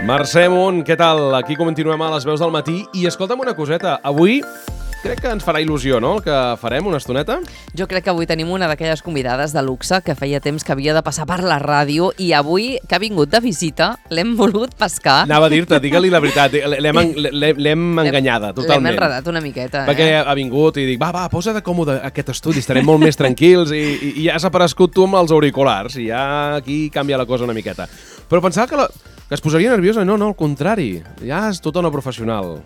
Mercè Munt, què tal? Aquí continuem a les veus del matí i escolta'm una coseta, avui crec que ens farà il·lusió, no?, el que farem una estoneta. Jo crec que avui tenim una d'aquelles convidades de luxe que feia temps que havia de passar per la ràdio i avui, que ha vingut de visita, l'hem volgut pescar. Anava a dir-te, digue-li la veritat, l'hem enganyada totalment. L'hem enredat una miqueta, Perquè ha vingut i dic, va, posa de còmode aquest estudi, estarem molt més tranquils i ja s'ha aparegut tu amb els auriculars i ja aquí canvia la cosa una miqueta. Però pensava que es posaria nerviosa, no, al contrari, ja és tota una professional.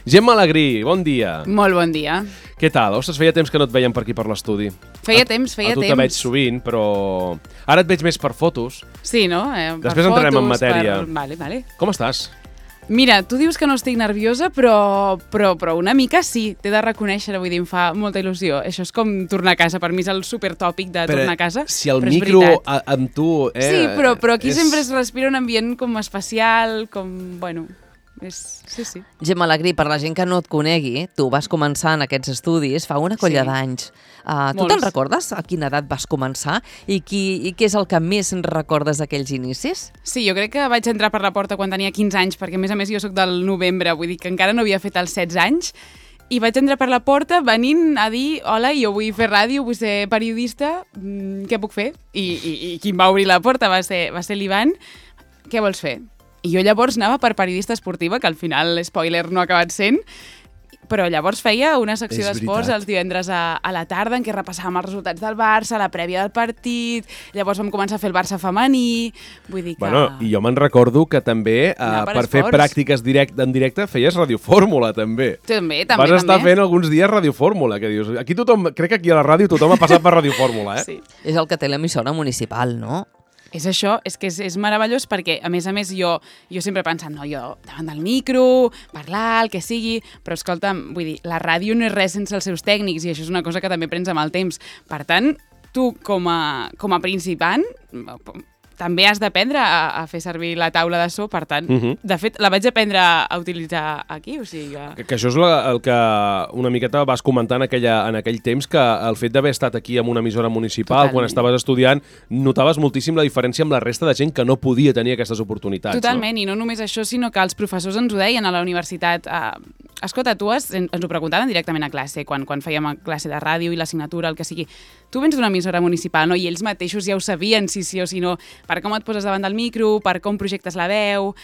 Gemma Alegrí, bon dia. Molt bon dia. Què tal? Ostres, feia temps que no et veiem per aquí per l'estudi. Feia temps. A tu te veig sovint, però ara et veig més per fotos. Sí, no? Després entrarem en matèria. Vale. Com estàs? Mira, tu dius que no estic nerviosa, però una mica sí, t'he de reconèixer, vull dir, em fa molta il·lusió. Això és com tornar a casa, per mi és el supertòpic de tornar a casa. Si el micro amb tu... Sí, però aquí sempre es respira un ambient com especial, com, bueno... Sí. Gemma Alegrí, per la gent que no et conegui, tu vas començar en aquests estudis fa una colla d'anys. Tu te'n recordes a quina edat vas començar i què és el que més recordes d'aquells inicis? Sí, jo crec que vaig entrar per la porta quan tenia 15 anys, perquè a més jo sóc del novembre, vull dir que encara no havia fet els 16 anys, i vaig entrar per la porta venint a dir hola, jo vull fer ràdio, vull ser periodista, què puc fer? I qui em va obrir la porta va ser l'Ivan. Què vols fer? I jo llavors anava per periodista esportiva, que al final, spoiler, no ha acabat sent, però llavors feia una secció d'esports els divendres a la tarda en què repassàvem els resultats del Barça, la prèvia del partit, llavors vam començar a fer el Barça femení, vull dir que... Bueno, i jo me'n recordo que també per fer pràctiques en directe feies radiofórmula, també. També. Vas estar fent alguns dies radiofórmula, que dius... Crec que aquí a la ràdio tothom ha passat per radiofórmula, eh? Sí. És el que té l'emissora municipal, no? És això, és que és meravellós perquè, a més, jo sempre he pensat, no, jo davant del micro, parlar, el que sigui, però escolta'm, vull dir, la ràdio no és res sense els seus tècnics i això és una cosa que també prens amb el temps. Per tant, tu com a principant també has d'aprendre a fer servir la taula de so, per tant, de fet, la vaig aprendre a utilitzar aquí, o sigui que això és el que una miqueta vas comentar en aquell temps, que el fet d'haver estat aquí en una emissora municipal, quan estaves estudiant, notaves moltíssim la diferència amb la resta de gent que no podia tenir aquestes oportunitats. Totalment, no? I no només això, sinó que els professors ens ho deien a la universitat. Escolta, ens ho preguntaven directament a classe, quan fèiem a classe de ràdio i l'assignatura, el que sigui. Tu vens d'una emissora municipal, no? I ells mateixos ja ho sabien, si sí o si no, per com et poses davant del micro, per com projectes la veu...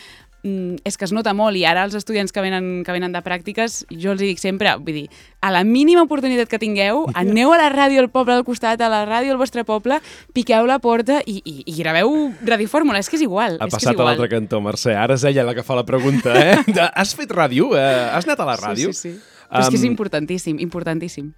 És que es nota molt, i ara els estudiants que venen de pràctiques, jo els dic sempre, vull dir, a la mínima oportunitat que tingueu, aneu a la ràdio al poble del costat, a la ràdio al vostre poble, piqueu la porta i graveu radiofórmula, és que és igual. Ha passat a l'altre cantó, Mercè, ara és ella la que fa la pregunta, eh? Has fet ràdio? Has anat a la ràdio? Sí. Però és que és importantíssim.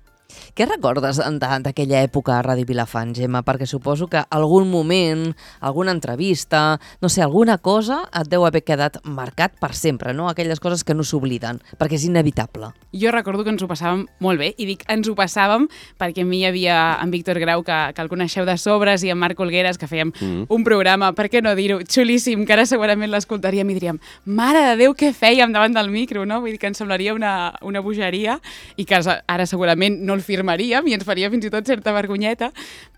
Què recordes d'aquella època a Ràdio Vilafant, Gemma? Perquè suposo que algun moment, alguna entrevista, no sé, alguna cosa et deu haver quedat marcat per sempre, no? Aquelles coses que no s'obliden, perquè és inevitable. Jo recordo que ens ho passàvem molt bé, i dic ens ho passàvem perquè amb mi hi havia en Víctor Grau, que el coneixeu de sobres, i en Marc Olgueres, que fèiem un programa, per què no dir-ho, xulíssim, que ara segurament l'escoltaríem i diríem, mare de Déu, què fèiem davant del micro, no? Vull dir que ens semblaria una bogeria, i que ara segurament no el firmaríem i ens faria fins i tot certa vergonyeta,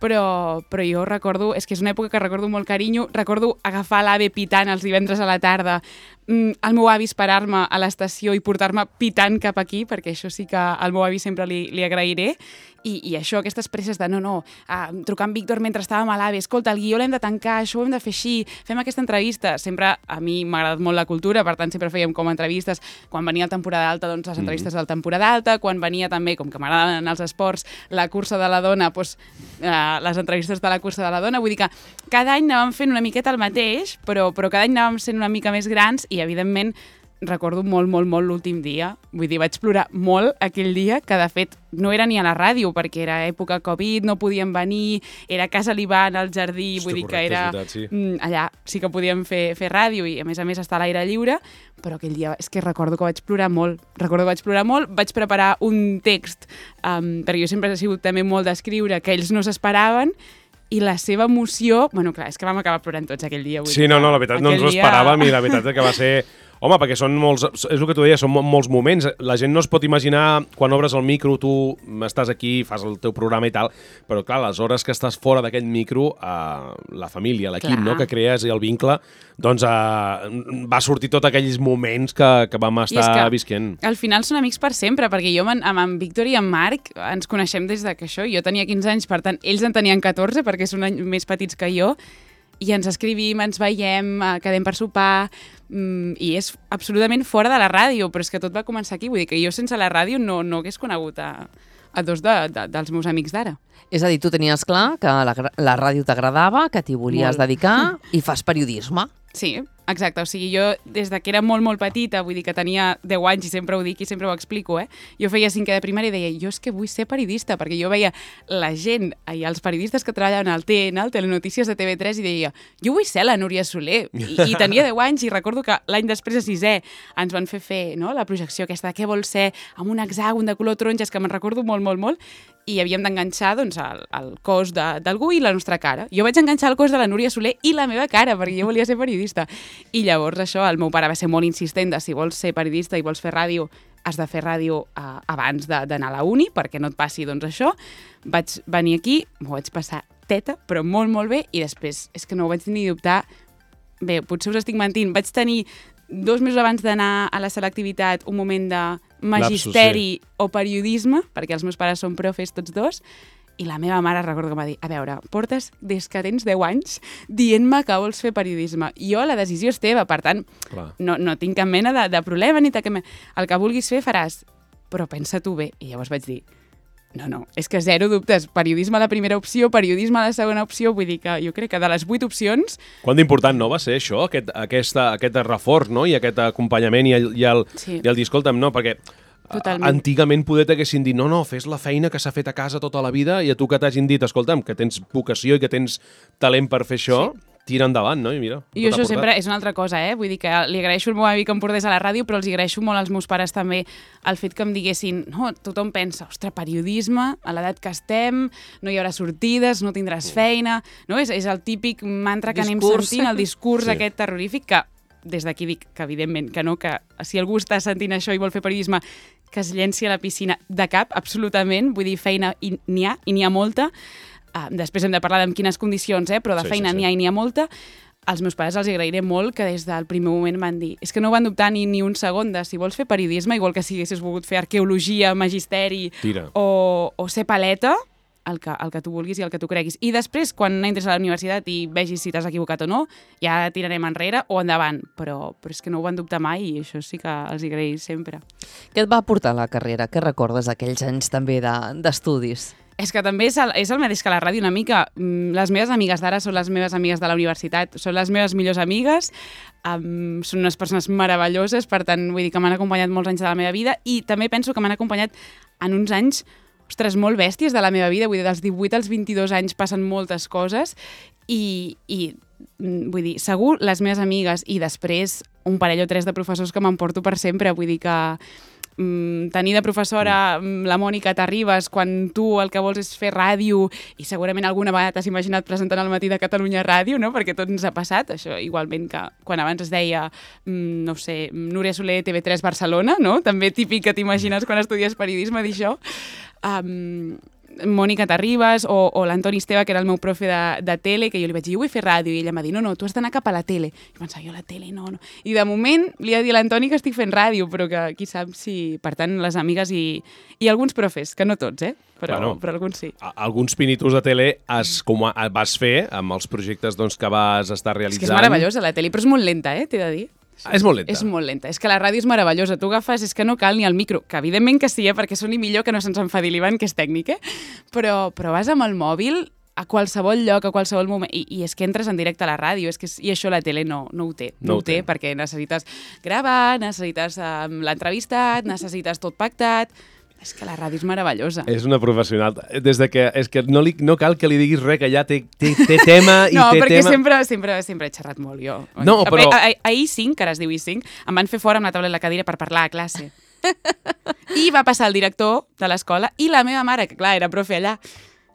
però jo recordo, és que és una època que recordo molt carinyo, recordo agafar l'AVE pitant els divendres a la tarda, el meu avi esperar-me a l'estació i portar-me pitant cap aquí, perquè això sí que al meu avi sempre li agrairé, i això, aquestes presses de trucar amb Víctor mentre estàvem a l'AVE, escolta, el guió l'hem de tancar, això ho hem de fer així, fem aquesta entrevista. Sempre a mi m'ha agradat molt la cultura, per tant sempre fèiem com entrevistes, quan venia la temporada alta, doncs les entrevistes de la temporada alta, quan venia també, com que m'agraden els esports, la cursa de la dona, doncs les entrevistes de la cursa de la dona, vull dir que cada any anàvem fent una miqueta el mateix, però cada any anàvem sent una mica més grans i, evidentment, recordo molt l'últim dia. Vull dir, vaig plorar molt aquell dia, que de fet no era ni a la ràdio, perquè era època Covid, no podíem venir, era a casa l'Ivan, al jardí, vull dir que era... Allà sí que podíem fer ràdio i a més estar a l'aire lliure, però aquell dia és que recordo que vaig plorar molt. Vaig preparar un text, perquè jo sempre he sigut també molt d'escriure, que ells no s'esperaven, i la seva emoció... Bueno, clar, és que vam acabar plorant tots aquell dia. Sí, no, la veritat no ens ho esperàvem i la veritat és que va ser Home, perquè són molts, és el que tu deies, són molts moments. La gent no es pot imaginar, quan obres el micro, tu estàs aquí, fas el teu programa i tal, però clar, les hores que estàs fora d'aquest micro, la família, l'equip, no?, que crees i el vincle, doncs va sortir tots aquells moments que vam estar visquent. Al final són amics per sempre, perquè jo amb en Víctor i en Marc ens coneixem des que això, jo tenia 15 anys, per tant, ells en tenien 14, perquè són un any més petits que jo, i ens escrivim, ens veiem, quedem per sopar, i és absolutament fora de la ràdio, però és que tot va començar aquí. Vull dir que jo sense la ràdio no hagués conegut a dos dels meus amics d'ara. És a dir, tu tenies clar que la ràdio t'agradava, que t'hi volies dedicar i fas periodisme. Sí, exacte. O sigui, jo des que era molt, molt petita, vull dir que tenia 10 anys i sempre ho dic i sempre ho explico, jo feia 5è de primària i deia, jo és que vull ser periodista, perquè jo veia la gent i els periodistes que treballaven al TN, al Telenotícies de TV3, i deia, jo vull ser la Núria Soler. I tenia 10 anys i recordo que l'any després de 6è ens van fer la projecció aquesta de què vol ser, amb un hexàgon de color taronja, que me'n recordo molt, molt, molt, i havíem d'enganxar el cos d'algú i la nostra cara. Jo vaig enganxar el cos de la Núria Soler i la meva cara, perquè jo volia ser periodista. I llavors això, el meu pare va ser molt insistent de si vols ser periodista i vols fer ràdio, has de fer ràdio abans d'anar a la uni, perquè no et passi això. Vaig venir aquí, m'ho vaig passar teta, però molt, molt bé, i després és que no ho vaig ni dubtar. Bé, potser us estic mentint, vaig tenir 2 mesos abans d'anar a la selectivitat un moment de magisteri o periodisme, perquè els meus pares són profes tots dos, i la meva mare recordo que em va dir, a veure, portes des que tens 10 anys dient-me que vols fer periodisme. Jo, la decisió és teva, per tant, no tinc cap mena de problema, ni el que vulguis fer faràs, però pensa-t'ho bé. I llavors vaig dir, no, és que zero dubtes, periodisme a la primera opció, periodisme a la segona opció, vull dir que jo crec que de les 8 opcions... Quant d'important no va ser això, aquest reforç, no?, i aquest acompanyament i el dir, escolta'm, no, perquè totalment. Antigament poder t'haguessin dit, no, fes la feina que s'ha fet a casa tota la vida, i a tu que t'hagin dit, escolta'm, que tens vocació i que tens talent per fer això... Sí. Tira endavant, no? I mira, i això sempre és una altra cosa, Vull dir que li agraeixo el meu avi que em portés a la ràdio, però els agraeixo molt als meus pares també el fet que em diguessin, no, tothom pensa, ostres, periodisme, a l'edat que estem, no hi haurà sortides, no tindràs feina, no? És el típic mantra que anem sentint, el discurs aquest terrorífic, que des d'aquí dic que evidentment que no, que si algú està sentint això i vol fer periodisme, que es llenci a la piscina de cap, absolutament, vull dir, feina n'hi ha, i n'hi ha molta. Després hem de parlar en quines condicions, però de feina n'hi ha i n'hi ha molta. Als meus pares els agrairé molt que des del primer moment van dir, és que no van dubtar ni un segon de si vols fer periodisme, igual que si haguessis volgut fer arqueologia, magisteri o ser paleta, el que tu vulguis i el que tu creguis. I després, quan entres a la universitat i vegis si t'has equivocat o no, ja tirarem enrere o endavant. Però és que no ho van dubtar mai i això sí que els agraïs sempre. Què et va portar a la carrera? Què recordes d'aquells anys també d'estudis? És que també és el mateix que la ràdio una mica. Les meves amigues d'ara són les meves amigues de la universitat, són les meves millors amigues, són unes persones meravelloses, per tant, vull dir que m'han acompanyat molts anys de la meva vida i també penso que m'han acompanyat en uns anys, ostres, molt bèsties de la meva vida, vull dir, dels 18 als 22 anys passen moltes coses i vull dir, segur les meves amigues i després un parell o 3 de professors que m'emporto per sempre, vull dir que tenir de professora la Mònica Terribas quan tu el que vols és fer ràdio i segurament alguna vegada t'has imaginat presentant al Matí de Catalunya Ràdio, no? Perquè tot ens ha passat, això igualment que quan abans es deia, no sé, Núria Soler, TV3 Barcelona, no? També típic que t'imagines quan estudies periodisme d'això. Mònica Terribas o l'Antoni Esteve, que era el meu profe de tele, que jo li vaig dir, jo vull fer ràdio, i ella em va dir, no, tu has d'anar cap a la tele. I pensava, jo a la tele, no. I de moment li he dit a l'Antoni que estic fent ràdio, però que qui sap si, per tant, les amigues i alguns profes, que no tots, però alguns sí. Alguns pinitos de tele vas fer amb els projectes que vas estar realitzant. És que és meravellosa la tele, però és molt lenta, t'he de dir. És molt lenta. És molt lenta. És que la ràdio és meravellosa. Tu agafes, és que no cal ni el micro, que evidentment que sí, perquè soni millor que no se'ns enfadi l'Ivan, que és tècnic, però vas amb el mòbil a qualsevol lloc, a qualsevol moment, i és que entres en directe a la ràdio, i això la tele no ho té. No ho té perquè necessites gravar, necessites l'entrevistat, necessites tot pactat. És que la ràdio és meravellosa. És una professional. És que no cal que li diguis res, que ja té tema i no, té tema... No, perquè sempre he xerrat molt, jo. No, però... A I5, que ara es diu I5, em van fer fora amb la taula i la cadira per parlar a classe. I va passar el director de l'escola i la meva mare, que clar, era profe allà.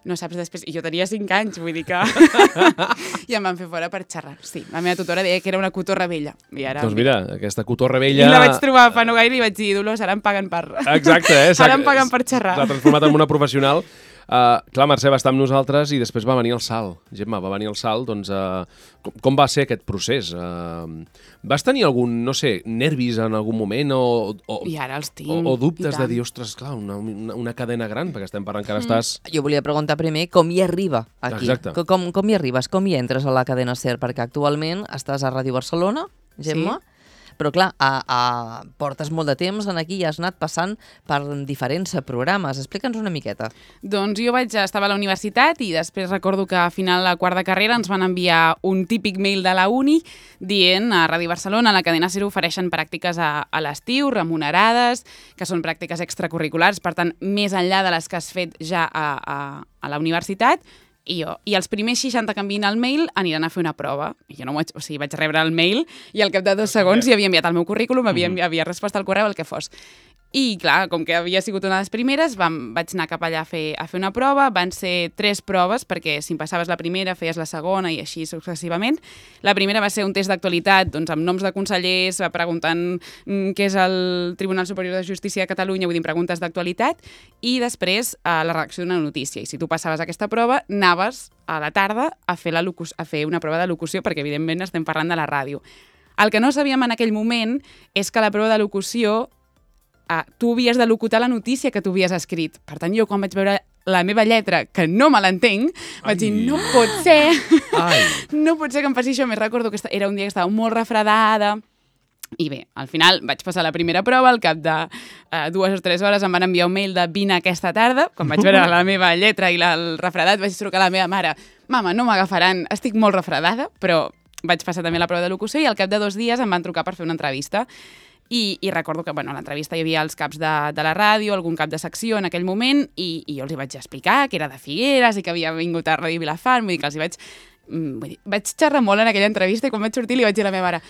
no saps després... I jo tenia 5 anys, vull dir que... I em van fer fora per xerrar. Sí, la meva tutora deia que era una cotorra vella. I ara... Doncs mira, aquesta cotorra vella... I la vaig trobar fa no gaire i vaig dir, Dolors, ara em paguen per... Exacte, Ara em paguen per xerrar. S'ha transformat en una professional. Clar, Mercè va estar amb nosaltres i després va venir el salt. Gemma, va venir el salt, doncs... Com va ser aquest procés? Vas tenir algun, no sé, nervis en algun moment I ara els tinc. o dubtes de dir, ostres, clar, una cadena gran, perquè estem parlant que ara estàs... Jo volia preguntar primer com hi arriba aquí. Exacte. Com hi arribes, com hi entres a la cadena SER? Perquè actualment estàs a Ràdio Barcelona, Gemma, però clar, portes molt de temps en aquí i has anat passant per diferents programes. Explica'ns una miqueta. Doncs jo estava a la universitat i després recordo que a final de quart de carrera ens van enviar un típic mail de la uni dient a Ràdio Barcelona, a la cadena SER ofereixen pràctiques a l'estiu, remunerades, que són pràctiques extracurriculars, per tant, més enllà de les que has fet ja a la universitat. I els primers 60 que envien el mail aniran a fer una prova. I jo vaig rebre el mail i al cap de 2 segons hi havia enviat el meu currículum, havia respost al correu, el que fos. I, clar, com que havia sigut una de les primeres, vaig anar cap allà a fer una prova. Van ser 3 proves, perquè si em passaves la primera, feies la segona i així successivament. La primera va ser un test d'actualitat, doncs, amb noms de consellers, preguntant què és el Tribunal Superior de Justícia de Catalunya, vull dir, preguntes d'actualitat, i després la redacció d'una notícia. I si tu passaves aquesta prova, anaves a la tarda a fer una prova de locució, perquè, evidentment, estem parlant de la ràdio. El que no sabíem en aquell moment és que la prova de locució tu havies de locutar la notícia que tu havies escrit. Per tant, jo quan vaig veure la meva lletra, que no me l'entenc, vaig dir, no pot ser, no pot ser que em passi això. Més recordo que era un dia que estava molt refredada, i bé, al final vaig passar la primera prova, al cap de 2 o 3 hores em van enviar un mail de vine aquesta tarda, quan vaig veure la meva lletra i el refredat, vaig trucar a la meva mare, mama, no m'agafaran, estic molt refredada, però vaig passar també la prova de locució i al cap de 2 dies em van trucar per fer una entrevista. I recordo que a l'entrevista hi havia els caps de la ràdio, algun cap de secció en aquell moment, i jo els hi vaig explicar que era de Figueres i que havia vingut a Ràdio Vilafant, vull dir que els hi vaig xerrar molt en aquella entrevista i quan vaig sortir li vaig dir a la meva mare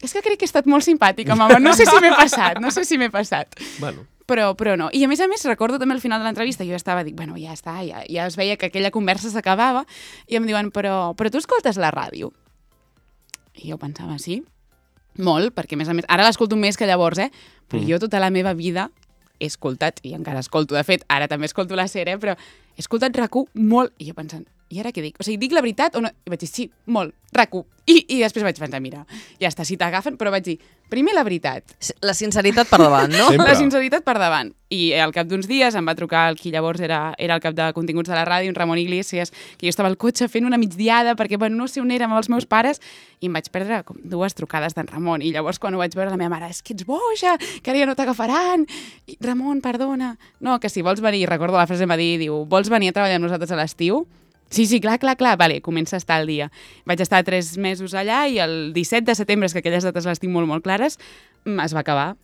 és que crec que he estat molt simpàtica, mama, no sé si m'he passat. Bueno. Però no. I a més recordo també al final de l'entrevista, jo estava, bueno, ja està, ja es veia que aquella conversa s'acabava, i em diuen, però tu escoltes la ràdio? I jo pensava, sí, molt, perquè a més, ara l'escolto més que llavors, però jo tota la meva vida he escoltat, i encara escolto, de fet, ara també escolto la SER, però he escoltat RAC1 molt, i jo pensant, i ara què dic? O sigui, dic la veritat o no? I vaig dir, sí, molt, RAC1. I després vaig pensar, mira, ja està, si t'agafen, però vaig dir, primer la veritat. La sinceritat per davant, no? Sempre. La sinceritat per davant. I al cap d'uns dies em va trucar el qui llavors era el cap de continguts de la ràdio, un Ramon Iglesias, que jo estava al cotxe fent una migdiada perquè, bueno, no sé on érem amb els meus pares, i em vaig perdre com 2 trucades d'en Ramon. I llavors quan ho vaig veure la meva mare, és que ets boja, que ara ja no t'agafaran. I, Ramon, perdona. No, que si vols venir, recordo la frase em va dir, diu, vols venir a treballar amb nosaltres a l'estiu? Sí, clar, vale, comença a estar al dia. Vaig estar 3 mesos allà i el 17 de setembre, que aquelles dates les tinc molt, molt clares, es va acabar.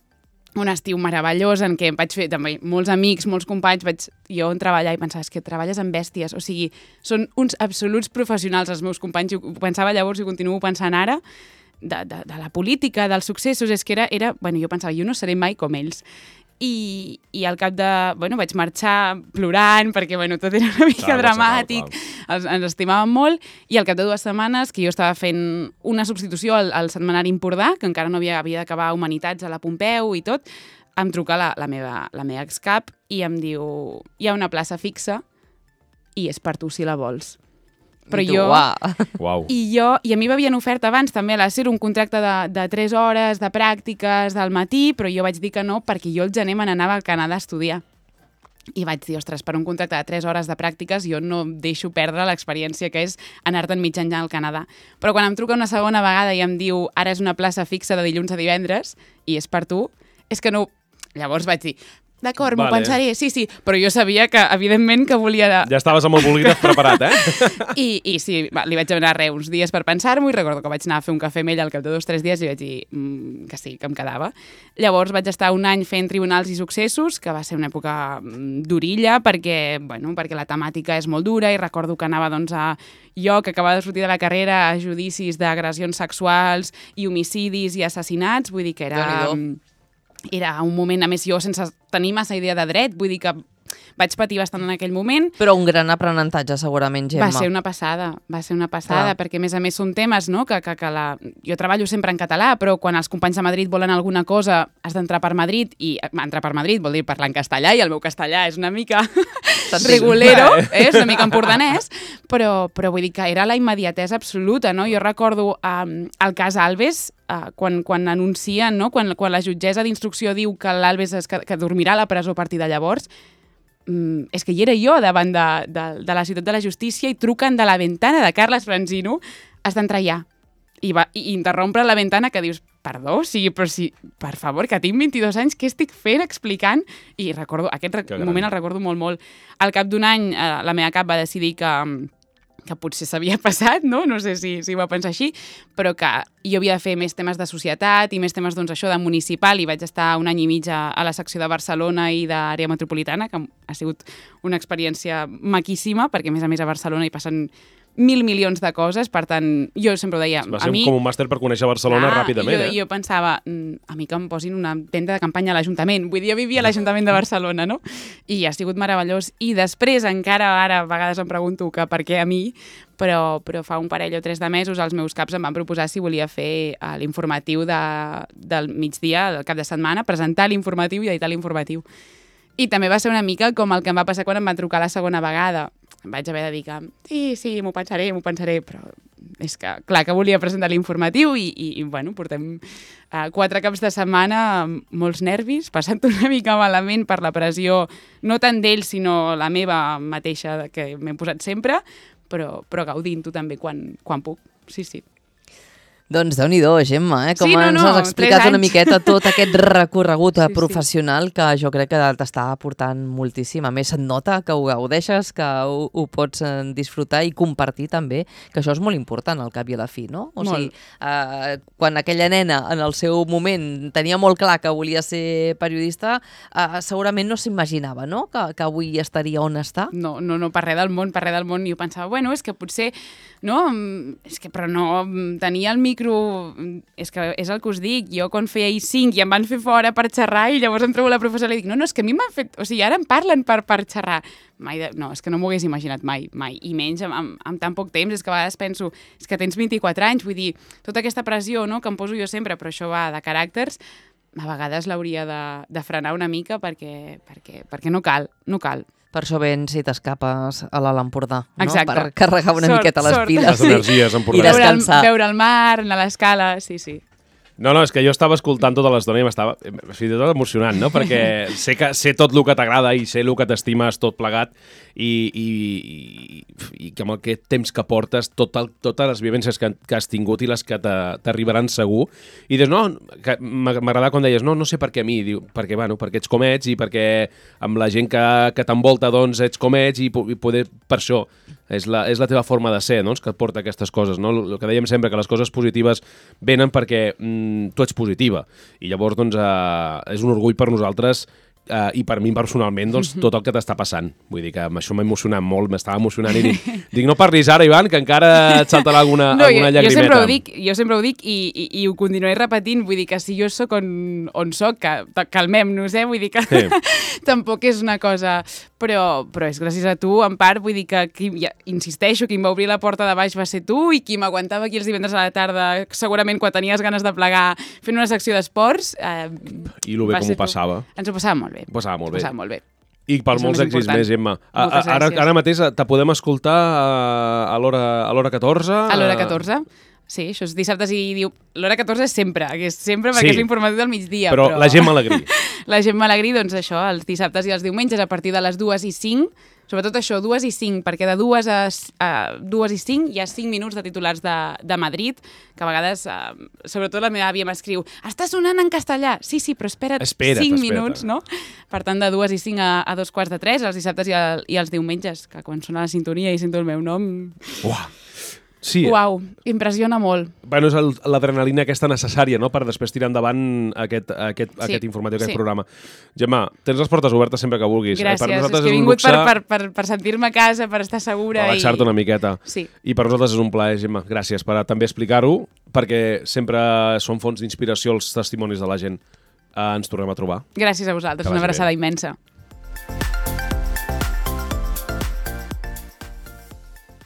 Un estiu meravellós en què em vaig fer també molts amics, molts companys, vaig jo on treballar i pensava, és que treballes amb bèsties, o sigui, són uns absoluts professionals els meus companys, ho pensava llavors i ho continuo pensant ara, de la política, dels successos, és que era, bueno, jo pensava, jo no seré mai com ells. I al cap de... Bueno, vaig marxar plorant perquè, bueno, tot era una mica dramàtic, ens estimàvem molt, i al cap de 2 setmanes, que jo estava fent una substitució al setmanari Empordà, que encara no havia d'acabar Humanitats a la Pompeu i tot, em truca la meva excap i em diu, hi ha una plaça fixa i és per tu si la vols. Però I tu, jo... Uau. I a mi m'havien ofert abans també a la SER un contracte de 3 hores de pràctiques del matí, però jo vaig dir que no perquè jo al gener me n'anava al Canadà a estudiar. I vaig dir, ostres, per un contracte de 3 hores de pràctiques jo no deixo perdre l'experiència que és anar-te'n mig any al Canadà. Però quan em truca una segona vegada i em diu ara és una plaça fixa de dilluns a divendres i és per tu, és que no... Llavors vaig dir... D'acord, m'ho pensaré, sí, però jo sabia que, evidentment, que volia... Ja estaves amb el bolígraf preparat, I sí, li vaig demanar uns dies per pensar-m'ho i recordo que vaig anar a fer un cafè amb ell al cap de 2 o 3 dies i vaig dir que sí, que em quedava. Llavors vaig estar un any fent Tribunals i Successos, que va ser una època durilla perquè la temàtica és molt dura i recordo que anava jo, que acabava de sortir de la carrera, a judicis d'agressions sexuals i homicidis i assassinats, vull dir que era un moment, a més jo sense tenir massa idea de dret, vull dir que vaig patir bastant en aquell moment. Però un gran aprenentatge, segurament, Gemma. Va ser una passada, perquè a més són temes, no?, que jo treballo sempre en català, però quan els companys de Madrid volen alguna cosa has d'entrar per Madrid, i entrar per Madrid vol dir parlar en castellà, i el meu castellà és una mica regulero, és una mica empordanès, però vull dir que era la immediatesa absoluta, no? Jo recordo el cas Alves, quan anuncien, no?, quan la jutgessa d'instrucció diu que l'Alves que dormirà a la presó a partir de llavors, és que hi era jo davant de la ciutat de la justícia i truquen de la ventana de Carles Franzino, has d'entrar ja. I interrompre la ventana que dius, perdó, però si, per favor, que tinc 22 anys, què estic fent explicant? I recordo, aquest moment el recordo molt, molt. Al cap d'un any, la meva cap va decidir que potser s'havia passat, no? No sé si ho va pensar així, però que jo havia de fer més temes de societat i més temes, doncs, això de municipal, i vaig estar un any i mig a la secció de Barcelona i d'àrea metropolitana, que ha sigut una experiència maquíssima, perquè a més a Barcelona hi passen 1.000 milions de coses, per tant, jo sempre ho deia... Va ser com un màster per conèixer Barcelona ràpidament, Jo pensava, a mi que em posin una tenda de campanya a l'Ajuntament, vull dir, jo vivia a l'Ajuntament de Barcelona, no? I ha sigut meravellós, i després encara ara a vegades em pregunto que per què a mi, però fa un parell o 3 de mesos els meus caps em van proposar si volia fer l'informatiu del migdia, del cap de setmana, presentar l'informatiu i editar l'informatiu. I també va ser una mica com el que em va passar quan em van trucar la segona vegada. Em vaig haver de dir que sí, m'ho pensaré, però és que, clar, que volia presentar l'informatiu i bueno, portem 4 caps de setmana amb molts nervis, passant una mica malament per la pressió, no tant d'ells, sinó la meva mateixa, que m'he posat sempre, però gaudint-ho també quan puc, sí. Doncs Déu-n'hi-do, Gemma, com sí, ens has explicat una miqueta tot aquest recorregut professional que jo crec que t'està aportant moltíssim. A més, et nota que ho gaudeixes, que ho pots disfrutar i compartir també, que això és molt important al cap i a la fi, no? O sigui, quan aquella nena en el seu moment tenia molt clar que volia ser periodista, segurament no s'imaginava, no?, que avui estaria on està. No, per res del món. I jo pensava, bueno, és que potser, no? Però no, tenia el micro, és que és el que us dic, jo quan feia I5 i em van fer fora per xerrar i llavors em trobo la professora i dic, no, és que a mi m'han fet, o sigui, ara em parlen per xerrar. No, és que no m'ho hagués imaginat mai, i menys amb tan poc temps. És que a vegades penso, és que tens 24 anys, vull dir, tota aquesta pressió, no?, que em poso jo sempre, però això va de caràcters, a vegades l'hauria de frenar una mica perquè no cal. Per això vens i t'escapes a l'Alt Empordà, no? Exacte. Per carregar una miqueta les piles. Les energies empordanes. I descansar. Veure el mar, anar a l'escala, sí. No, és que jo estava escoltant tota l'estona i m'estava fins i tot emocionant, no? Perquè sé tot el que t'agrada i sé el que t'estimes tot plegat i que amb aquest temps que portes, totes les vivències que has tingut i les que t'arribaran segur. I dius, no, m'agradava quan deies, no sé per què a mi, diu, perquè ets com ets i perquè amb la gent que t'envolta doncs ets com ets i poder, per això, és la teva forma de ser, no?, que et porta aquestes coses, no? El que dèiem sempre, que les coses positives venen perquè tu ets positiva i llavors doncs és un orgull per nosaltres i per mi personalment doncs, tot el que t'està passant. Vull dir que això m'ha emocionat molt, m'estava emocionant i dic, no parlis ara, Ivan, que encara et saltarà alguna llagrimeta. Jo sempre ho dic i ho continuaré repetint, vull dir que si jo sóc on sóc, que calmem-nos, vull dir que tampoc és una cosa... Però és gràcies a tu, en part, vull dir que, insisteixo, qui em va obrir la porta de baix va ser tu i qui m'aguantava aquí els divendres a la tarda, segurament quan tenies ganes de plegar fent una secció d'esports... I el bé com ho passava. Ens ho passava molt bé. Passava molt bé. I per això molts èxits més, Gemma. Ara mateix te podem escoltar a l'hora 14? A l'hora 14. Sí, això és dissabtes i l'hora 14 és sempre perquè és l'informatiu del migdia. Però la Gemma Alegrí. La Gemma Alegrí, doncs això, els dissabtes i els diumenges a partir de les 2:05, sobretot això, 2:05, perquè de 2 a 2:05 hi ha 5 minuts de titulars de Madrid, que a vegades, sobretot la meva àvia m'escriu, està sonant en castellà. Sí, però espera't 5 minuts, no? Per tant, de 2:05 a 2:45, els dissabtes i els diumenges, que quan sona la sintonia i sento el meu nom... Uah! Sí. Uau, impressiona molt. Bueno, és l'adrenalina aquesta necessària, no?, per després tirar endavant aquest informatiu, aquest programa. Gemma, tens les portes obertes sempre que vulguis. Gràcies, per és que he vingut per sentir-me a casa, per estar segura. Relaxar-te una miqueta. Sí. I per nosaltres és un plaer, Gemma. Gràcies per també explicar-ho, perquè sempre són fonts d'inspiració els testimonis de la gent. Ens tornem a trobar. Gràcies a vosaltres, una abraçada immensa.